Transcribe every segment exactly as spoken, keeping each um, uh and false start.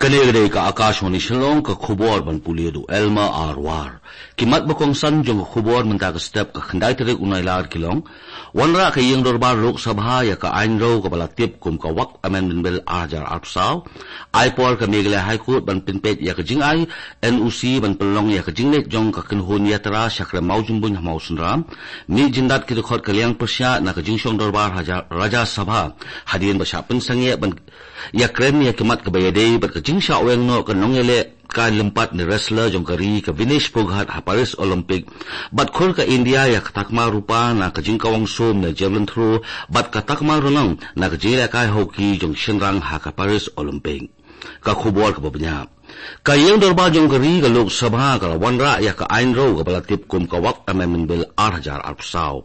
Kane ka dei ka Akashvani Shillong, ka khubor ban pule da u Elma Arwar. Ki mat ba kongsan jong ka khubor mynta ka step ka khyndai tarik u Nailar ki long: Wanrah ka ïing dorbar Lok Sabha ïa ka aiñrew kaba la tip kum ka Waqf Amendment Bill ar hajar arphew saw. Ai por ka Meghalaya High Court ban pynpeit ïa ka jingai N O C ban pynlong ïa ka jingleit jong ka kynhun ïatara sha krem Mawjymbuin ha Mawsynram. Mih jyndat ki dkhot ka liang pyrshah na ka jingshong dorbar Rajya Sabha hadien ba shah pynsangeh ban ïakren ïa ki mat kaba ïadei bad ka jingshah weng noh ka nongïalehkai lympat ne wrestler jong ka ri ka Vinesh Phogat ha Paris Olympic. Bad khur ka India ïa ka takma rupa na ka jingkawang sum ne javelin throw bad ka takma rnong na ka jingïalehkai hockey jong shynrang ha ka Paris Olympic. Ka khubor kaba bniah. Ka ïing dorbar jong ka ri ka Lok Sabha ka la wanrah ïa ka aiñrew kaba la tip kum ka Waqf Amendment Bill ar hajar arphew saw.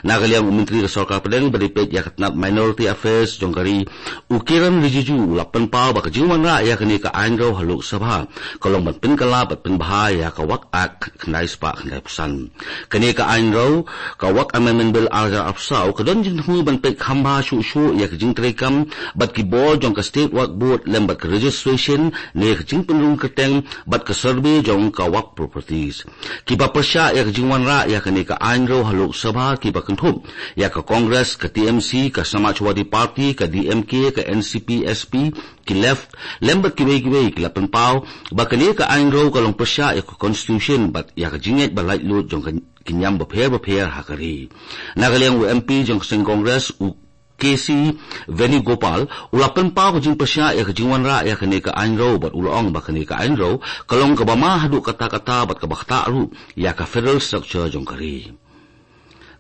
Na ka liang u Myntri ka Sorkar Pdeng ba dei peit ïa ka tnat Minority Affairs jong ka ri, u Kiren Rijiju, u la pynpaw ba ka jingwanrah ïa kane ka aiñrew ha Lok Sabha ka long ban pynkylla bad pynbha ïa ka Waqf Act khyndai spah khyndaiphew san. Kane ka aiñrew, ka Waqf Amendment Bill ar hajar arphew saw, ka don jingthmu ban peit kham bha shuh shuh ïa ka jingtreikam bad ki bor jong ka State Waqf Board lem bad ka registration ne ka jingpynrung kyrteng bad ka survey jong ka Waqf properties. Kiba pyrshah ïa ka jingwanrah ïa kane ka aiñrew ha Lok Sabha kiba kynthup ïa ka Congress, ka T M C, ka Samajwadi Party, ka D M K, ka N C P S P, ki Left lem bad kiwei kiwei ki la pynpaw ba kane ka aiñrew ka long pyrshah ïa ka Constitution bad ïa ka jingngeit ba laitluid jong ka ki niam bapher bapher ha ka ri. Na ka liang u M P jong ka seng Congress, u K C Venugopal, u la pynpaw ka jingpyrshah ïa ka jingwanrah ïa kane ka aiñrew bad u la ong ba kane ka aiñrew ka long kaba ma haduh katta katta bad kaba ktah ruh ïa ka federal structure jong ka ri.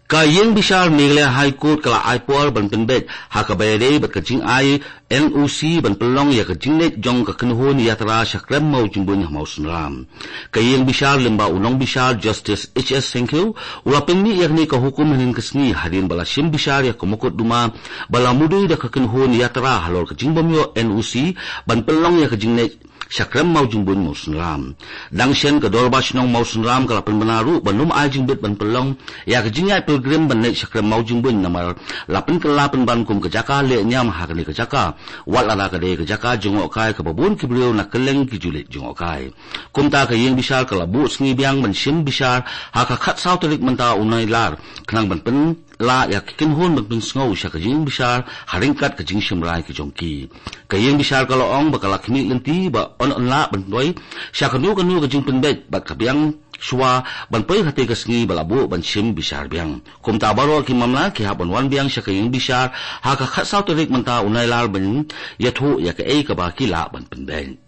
Ka ïing bishar Meghalaya High Court ka la ai por ban pynbeit ha kaba ïadei bad ka jingai N O C ban pynlong ïa ka jingleit jong ka kynhun ïatara sha krem Mawjymbuin ha Mawsynram. Ka ïing bishar lyngba u nongbishar Justice H S Syngkiew u la pynmih ïa kane ka hukum hynnin ka sngi hadien ba la shim bishar ïa ka mukotduma ba la mudui da ka kynhun ïatara halor ka jingbym ïoh N O C ban pynlong ïa ka jingleit sha krem Mawjymbuin Mawsynram. Dang shen ka Dorbar Shnong Mawsynram ka la pynbna ruh ban ym ai jingbit ban pynlong ïa ka jingïaid pilgrim ban leit sha krem Mawjymbuin namar la pynkylla pynban kum ka jaka leh niam ha kane ka jaka, wat lada ka dei ka jaka jngohkai kaba bun ki briew na kylleng ki julit jngohkai. Kumta ka ïing bishar ka la buh sngi biang ban shim bishar ha ka khatsaw tarik mynta u Nailar khnang ban pynlah ïa ki kynhun ban pynsngew sha ka ïing bishar ha ryngkat ka jingshim rai ka jong ki. Ka ïing bishar ka la ong ba ka la khmih lynti ba yn, yn lah ban poi sha kano kano ka jingpynbeit bad ka biang shuwa ban poi ha kata ka sngi ba la buh ban shim bishar biang. Kumta baroh ki mamla ki hap ban wan biang sha ka ïing bishar ha ka khatsaw tarik mynta u Nailar ban ïathuh ïa kaei kaba ki lah ban pynbeit.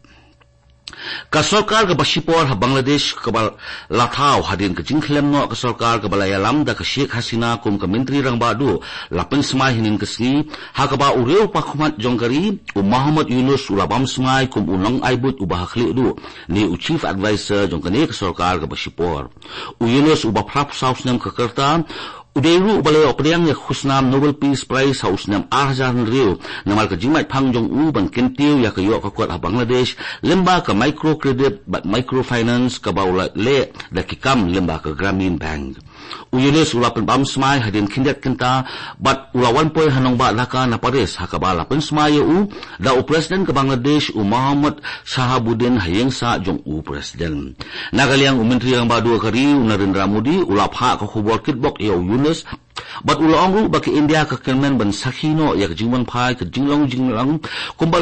Ka sorkar kaba shipor ha Bangladesh kaba la thaw hadien ka jingkhlem noh ka sorkar kaba la ïalam da ka Sheikh Hasina kum ka Myntri Rangbah Duh la pynsmai hynnin ka sngi, ha kaba u riewpakhmat jong ka ri, u Muhammad Yunus, u la bam smai kum u nongai buit uba ha khlieh duh ne u Chief Adviser jong kane ka sorkar kaba shipor. U Yunus uba phraphew saw snem ka rta, u dei ruh uba la ïoh pdiang ïa ka khusnam Nobel Peace Prize ha u snem ar hajar hynriew namar ka jingmait phang jong u ban kyntiew ïa ka ïoh ka kot ha Bangladesh lyngba ka microcredit bad microfinance kaba u la leh da ki kam lyngba ka Grameen Bank. U Yunus u la pynbam smai hadien khyndiat kynta bad u la wan poi ha nongbah Dhaka na Paris ha kaba la pynsmai ïa u da u President ka Bangladesh u Mohammad Shahabuddin ha ïing sah jong u President. Na ka liang u Myntri Rangbah Duh ka ri u Narendra Modi u la phah ka khubor kitbok ïa u Yunus bad u la ong ruh ba ka India ka kyrmen ban sakhi noh ïa ka jingwanphai ka jinglong jinglang kumba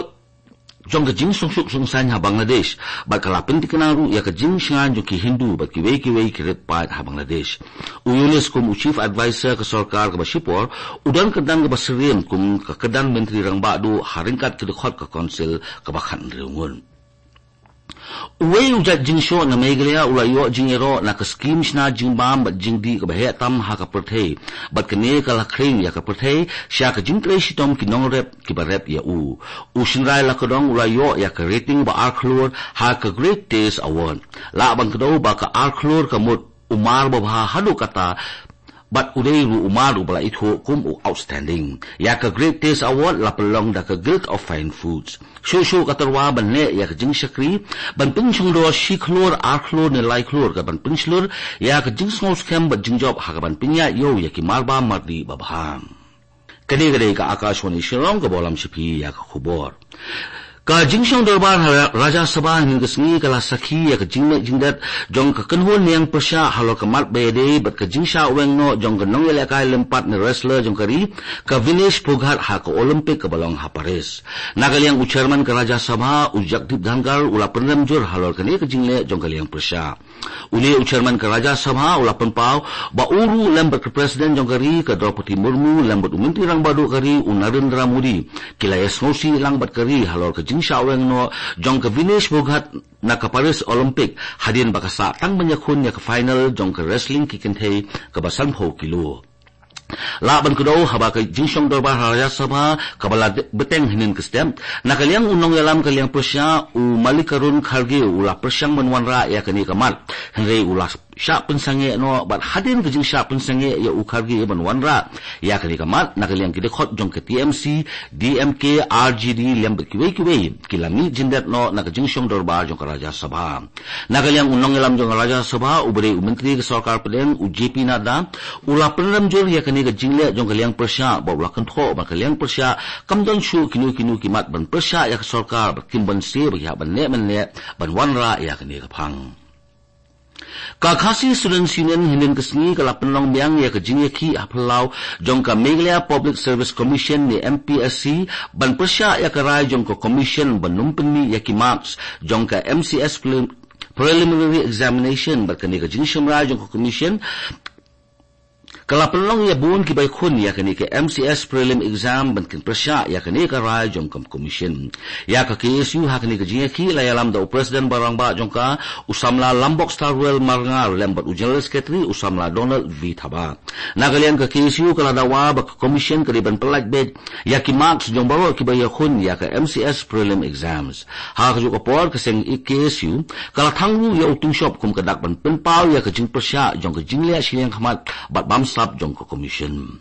jong ka jingsngewsuk sngewsaiñ ha Bangladesh bad ka la pyntikna ruh ïa ka jingshngaiñ jong ki Hindu bad kiwei kiwei ki rit paid ha Bangladesh. U Yunus kum u Chief Adviser ka sorkar kaba shipor u don ka dang kaba syriem kum ka kyrdan Myntri Rangbah Duh ha ryngkat ki dkhot ka Council kaba khathynriew ngut. Uwei u jait jingshoh na Meghalaya u la ïoh jingïaroh na ka skim shna jingbam bad jingdih kaba heh tam ha ka pyrthei bad kane ka la khring ïa ka pyrthei sha ka jingtrei shitom ki nongrep kiba rep ïa u. U Shynrai Lakadong u la ïoh ïa ka rating ba ar khlur ha ka Great Taste Award. Lah ban kdew ba ka ar khlur ka mut u mar babha haduh katta bad u dei ruh u mar uba la ithuh kum u outstanding. Ïa ka Great Taste Award la pynlong da ka Guild of Fine Foods. Shuh shuh ka tyrwa ban leh ïa ka jingshakri ban pynshongdor shi khlur, ar khlur ne lai khlur ka ban pynshlur ïa ka jingsngew skhem bad jingjop ha ka ban pynïaid ïew ïa ki mar bam mar dih babha. Kane ka dei ka Akashvani Shillong kaba lam sha phi ïa ka khubor. Ka jingshong dorbar ha Rajya Sabha hynnin ka sngi ka la sakhi ïa ka jingleh jingdet jong ka kynhun niang pyrshah halor ka mat ba ïadei bad ka jingshah weng noh jong ka nongïalehkai lympat ne wrestler jong ka ri, ka Vinesh Phogat ha ka Olympic kaba long ha Paris. Na ka liang u chairman ka Rajya Sabha, u Jagdeep Dhankhar, u la pynrem jur halor kane ka jingleh jong ka liang pyrshah. Une u chairman ka Rajya Sabha u la pynpaw ba u ruh lem bad ka president jong ka ri ka Draupadi Murmu lem bad u Myntri Rangbah Duh ka ri u Narendra Modi ki la ïasngewsih lang bad ka ri halor ka jingshah weng noh jong ka Vinesh Phogat na ka Paris Olympic hadien ba ka sah tang ban ïakhun ïa ka final jong ka wrestling ki kynthei kaba sanphew kilo. Lah ban kdew haba ka jingshong dorbar ha Rajya Sabha kaba la de-, bteng hynnin ka step. Na ka liang u nongïalam ka liang pyrshah u Mallikarjun Kharge u la pyrshang ban wanrah ïa kane ka mat. Hynrei u la shah pynsangeh noh bad hadien ka jingshah pynsangeh ïa u Kharge ban wanrah ïa kane ka mat na ka liang ki dkhot jong ka T M C, D M K, R J D lem bad kiwei kiwei ki la mih jingdet noh na ka jingshong dorbar jong ka Rajya Sabha. Na ka liang u nongïalam jong ka Rajya Sabha, u ba dei u Myntri ka Sorkar Pdeng, u J P Nadda, u la pynrem jur ïa kane ka jingleh jong ka liang pyrshah, ba u la kynthoh ba ka liang pyrshah kam don shuh kino kino ki mat ban pyrshah ïa ka sorkar, ba kim banse ba ki hap ban neh ban neh ban wanrah ïa kane ka phang. Ka Khasi Students Union hynnin ka sngi ka la pynlong biang ïa ka jingïakhih ha phyllaw jong ka Meghalaya Public Service Commission ne M P S C ban pyrshah ïa ka rai jong ka commission ban ym pynmih ïa ki marks jong ka M C S prelim-, preliminary examination. Bad kane ka jingshim rai jong ka commission ka la pynlong ïa bun kiba ïakhun ïa kane ka M C S prelim exam ban kin pyrshah ïa kane ka rai jong ka commission. Ïa ka K S U ha kane ka jingïakhih la ïalam da u president ba rangbah jong ka, u samla Lambok Starwell Marngar lem bad u general secretary u samla Donald V Thabah. Na ka liang ka K S U ka la dawa ba ka commission ka dei ban pyllait beit ïa ki marks jong baroh kiba ïakhun ïa ka M C S prelim exams. Ha kajuh ka por ka seng K S U ka la thang ruh ïa u tyngshop kum ka dak ban pynpaw ïa ka jingpyrshah jong ka jingleh shiliang khmat bad bamsap jong ka commission.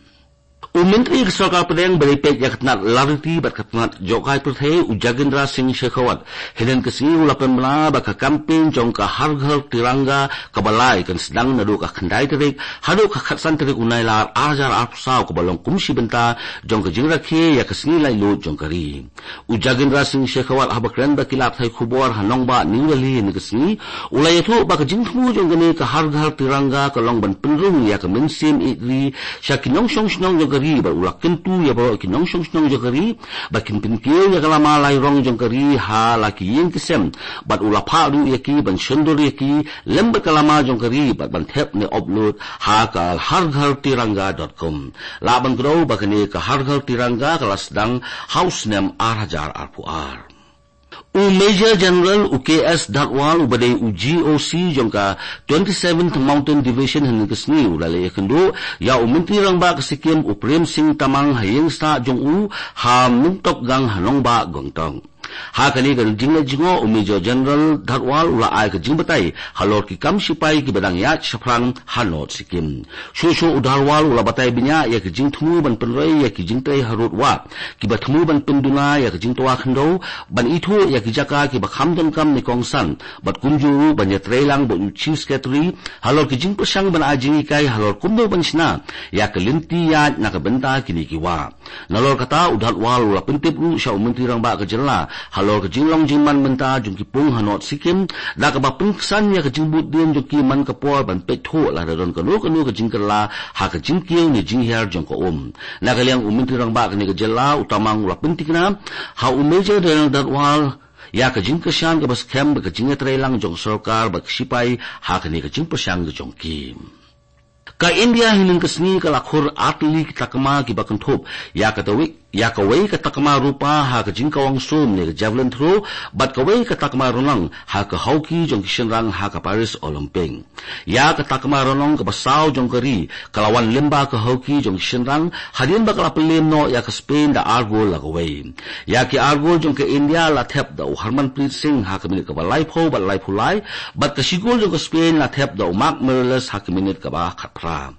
U Myntri ka Sorkar Pdeng ba dei peit ïa ka tnat lariti bad ka tnat jngohkai pyrthei, u Jagendra Singh Shekhawat, hynnin ka sngi u la pynbna ba ka campaign jong ka Har Ghar Tiranga kaba lai kan sdang naduh ka khyndai tarik haduh ka khatsan tarik u Nailar ar hajar arphew saw, kaba long kum shi bynta jong ka jingrakhe ïa ka sngi laitluid jong ka ri. U Jagendra Singh Shekhawat, haba kren bad ki lad pathai khubor ha nongbah New Delhi hynnin ka sngi, u la ïathuh ba ka jingthmu jong kane ka Har Ghar Tiranga ka long ban pynrung ïa ka mynsiem ïeit ri sha ki nongshong shnong jong ka ri, bad u la kyntu ïa baroh ki nongshong shnong jong ka ri ba kin pynkiew ïa ka lama lai rong jong ka ri ha la ki ïing ki sem, bad u la phah ruh ïa ki ban shondur ïa ki lem bad ka lama jong ka ri bad ban thep ne upload ha ka har ghar tiranga dot com. Lah ban kdew ba kane ka Har Ghar Tiranga ka la sdang ha u snem ar hajar arphew ar. U Major General u K S Dhadwal, u ba dei u G O C jong ka twenty-seventh Mountain Division, hynnin ka sngi u la leit ïakynduh ïa u Myntri Rangbah ka Sikkim u Prem Singh Tamang ha ïing sah jong u ha Myntokgang ha nongbah Gangtok. Ha kane ka jingleit jngoh, u Major General Dhadwal u la ai ka jingbatai halor ki kam shipai kiba dang ïaid shaphrang ha North Sikkim. Shuh shuh u Dhadwal u la batai bniah ïa ka jingthmu ban pynroi ïa ki jingtrei harud wah kiba thmu ban pynduna ïa ka jingtwa khyndew, ban ithuh ïa ki jaka kiba kham donkam ne kongsan, bad kumjuh ruh ban ïatreilang bad u Chief Secretary halor ki jingpyrshang ban ai jinghikai halor kumno ban shna ïa ka lynti ïaid na ka bynta kine ki wah. Nalor kata, u Dhadwal u la pyntip ruh sha u Myntri Rangbah ka jylla halor ka jinglong jingman mynta jong ki pung ha North Sikkim, da kaba pynksan ïa ka jingbud dien jong ki man ka por ban peit thuh lada don kano kano ka jingkylla ha ka jingkiew ne jinghiar jong ka um. Na ka liang u Myntri Rangbah kane ka jylla, u Tamang, u la pynthikna ha u Major General Dhadwal ïa ka jingkyrshan kaba skhem bad ka jingïatreilang jong ka sorkar bad ka shipai ha kane ka jingpyrshang ka jong ki. Ka India hynnin ka sngi ka la khur artylli ki takma kiba kynthup ïa ka tawei, ïa kawei ka takma rupa ha ka jingkawang sum ne ka javelin throw, bad kawei ka takma rnong ha ka hockey jong ki shynrang ha ka Paris Olympic. Ïa ka takma rnong kaba saw jong ka ri ka la wan lyngba ka hockey jong ki shynrang hadien ba ka la pynlem noh ïa ka Spain da ar gol la kawei. Ïa ki ar gol jong ka India la thep da u Harmanpreet Singh ha ka minit kaba laiphew bad laiphew lai, bad ka shi gol jong ka Spain la thep da u Marc Miralles ha ka minit kaba khatphra.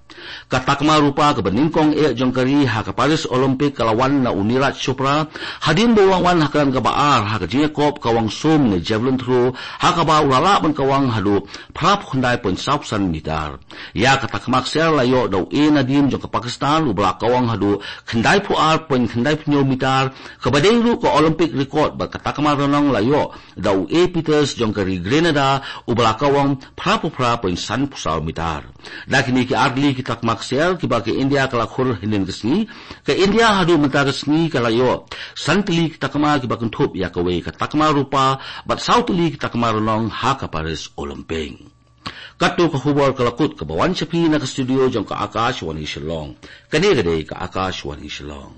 Ka takma rupa kaba nyngkong eh jong ka ri ha ka Paris Olympic ka la wan na u Neeraj Chopra, hadien ba u la wan ha ka kyrdan kaba ar ha ka jingïakop kawang sum ne javelin throw, ha kaba u la lah ban kawang haduh phra phew khyndai point saw san mitar. Ïa ka takma ksiar la ïoh da u A Nadeem jong ka Pakistan, uba la kawang haduh khyndai phew ar point khyndai phew hynñiew mitar, kaba dei ruh ka Olympic record, bad ka takma rnong la ïoh da u A Peters jong ka ri Grenada, uba la kawang phra phew phra point san phew saw mitar. Da kine ki ar tylli ki takma ksiar kiba ka India ka la khur hynnin ka sngi, ka India haduh mynta ka sngi ka la ïoh san tylli ki takma kiba kynthup ïa kawei ka takma rupa, bad saw tylli ki takma rnong ha ka Paris Olympic. Katto ka khubor ka la kut kaba wan sha phi na ka studio jong ka Akashvani Shillong. Kane ka dei ka Akashvani Shillong.